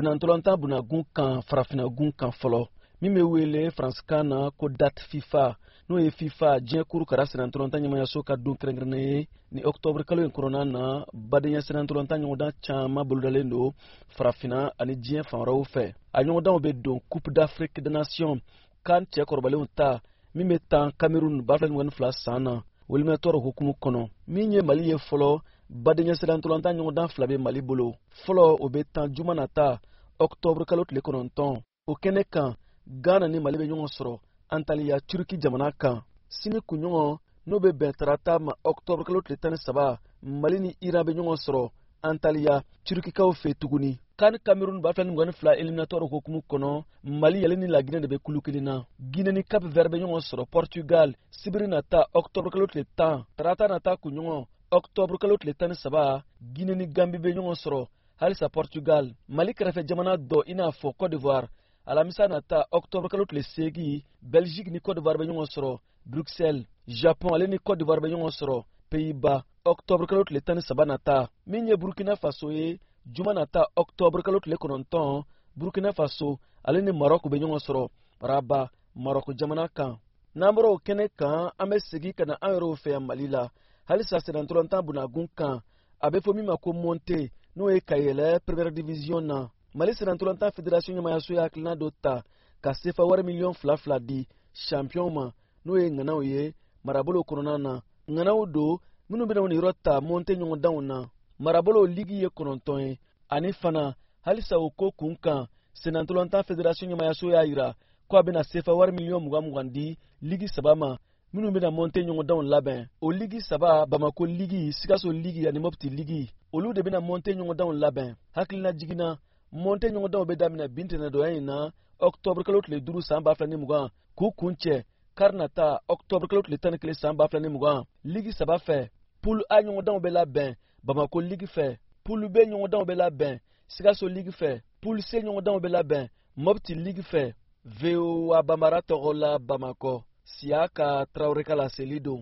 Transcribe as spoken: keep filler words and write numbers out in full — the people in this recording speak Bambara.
Sennantolatan bunakun kan, farafinagun kan fɔlɔ, min bɛ wele faransikan na ko date FIFA, n'o ye FIFA, diɲɛ kurukara sennantolatan ɲɛmayaso ka don kɛrɛnkɛrɛnnen ye. Ni ɔkutɔburu kalo in kɔnɔna na, badenya sennantolatan ɲɔgɔndan caman bolodalen don farafina ani diɲɛ fan wɛrɛw fɛ. A ɲɔgɔndanw bɛ don Coupe d'Afrique des Nations kan cɛkɔrɔbalenw ta min bɛ tan Cameroun ba fila ni mugan ni fila san na, o éliminatoire hukumu kɔnɔ. Min ye Mali ye fɔlɔ, badenya sennantolatan ɲɔgɔndan fila bɛ Mali bolo. Fɔlɔ, o bɛ tan juma nata, ɔkutɔburu kalo tile kɔnɔntɔn. O kɛnɛ kan, Ghana ni Mali bɛ ɲɔgɔn sɔrɔ Antaliya, Turki jamana kan. Sini kunɲɔgɔn, n'o bɛ bɛn tarata ma, ɔkutɔburu kalo tile tan ni saba, Mali ni Iran bɛ ɲɔgɔn sɔrɔ Antaliya, Turkikaw fɛ tuguni. CAN Cameroun ba fila ni mugan ni fila éliminatoire hukumu kɔnɔ, Mali ale ni Laginɛ de bɛ kulu kelen na. Guinée ni Cap Vert bɛ ɲɔgɔn sɔrɔ Portugal sibiri nata, ɔkutɔburu kalo tile tan. Tarata nata kunɲɔgɔn, ɔkutɔburu kalo tile tan ni saba, Guinée ni Gambi bɛ ɲɔgɔn sɔrɔ halisa Portugal. Mali kɛrɛfɛ jamana dɔ, i n'a fɔ Côte d'Ivoire, alamisa nata, ɔkutɔburu kalo tile seegin, Belgique ni Côte d'Ivoire bɛ ɲɔgɔn sɔrɔ Bruxelles. Japon ale ni Côte d'Ivoire bɛ ɲɔgɔn sɔrɔ Pays-Bas, ɔkutɔburu kalo tile tan ni saba nata. Min ye Burkina Faso ye, juma nata, ɔkutɔburu kalo tile kɔnɔntɔn, Burkina Faso ale ni Marɔku bɛ ɲɔgɔn sɔrɔ Rabat, Marɔku jamana kan. N'an bɔra o kɛnɛ kan, an bɛ segin ka na an yɛrɛw fɛ yan Mali la halisa, sennantolatan bunakun kan, a bɛ fɔ min ma ko montée, n'o ye ka yɛlɛ première division na. Mali sennantolatan fédération ɲɛmayaso ye hakilina dɔ ta ka sefa wari miliyɔn fila fila di champion ma, n'o ye ŋanaw ye marabolo kɔnɔna na, ŋanaw don minnu bɛna niyɔrɔ ta montée ɲɔgɔndanw na. Marabolo ligi ye kɔnɔntɔn ye. Ani fana halisa o ko kun kan, sennantolatan fédération ɲɛmayaso y'a yira ko a bɛna sefa wari miliyɔn mugan mugan di ligi saba ma minnu bɛna montée ɲɔgɔndanw labɛn. O ligi saba, Bamako ligi, Sikaso ligi ani Mopti ligi, olu de bɛna montée ɲɔgɔndanw labɛn. Hakilina jiginna, montée ɲɔgɔndanw bɛ daminɛ bi ntɛnɛndonya in na, ɔkutɔburu kalo tile duuru san ba fila ni mugan, k'u kun cɛ kari nata, ɔkutɔburu kalo tile tan ni kelen san ba fila ni mugan. Ligi saba fɛ, poule A ɲɔgɔndanw bɛ labɛn Bamako ligi fɛ, poule B ɲɔgɔndanw bɛ labɛn Sikaso ligi fɛ, poule C ɲɔgɔndanw bɛ labɛn Mopti ligi fɛ. V O A Banbara tɔgɔ la, Bamakɔ, Siyaka Tarawele ka laseli don.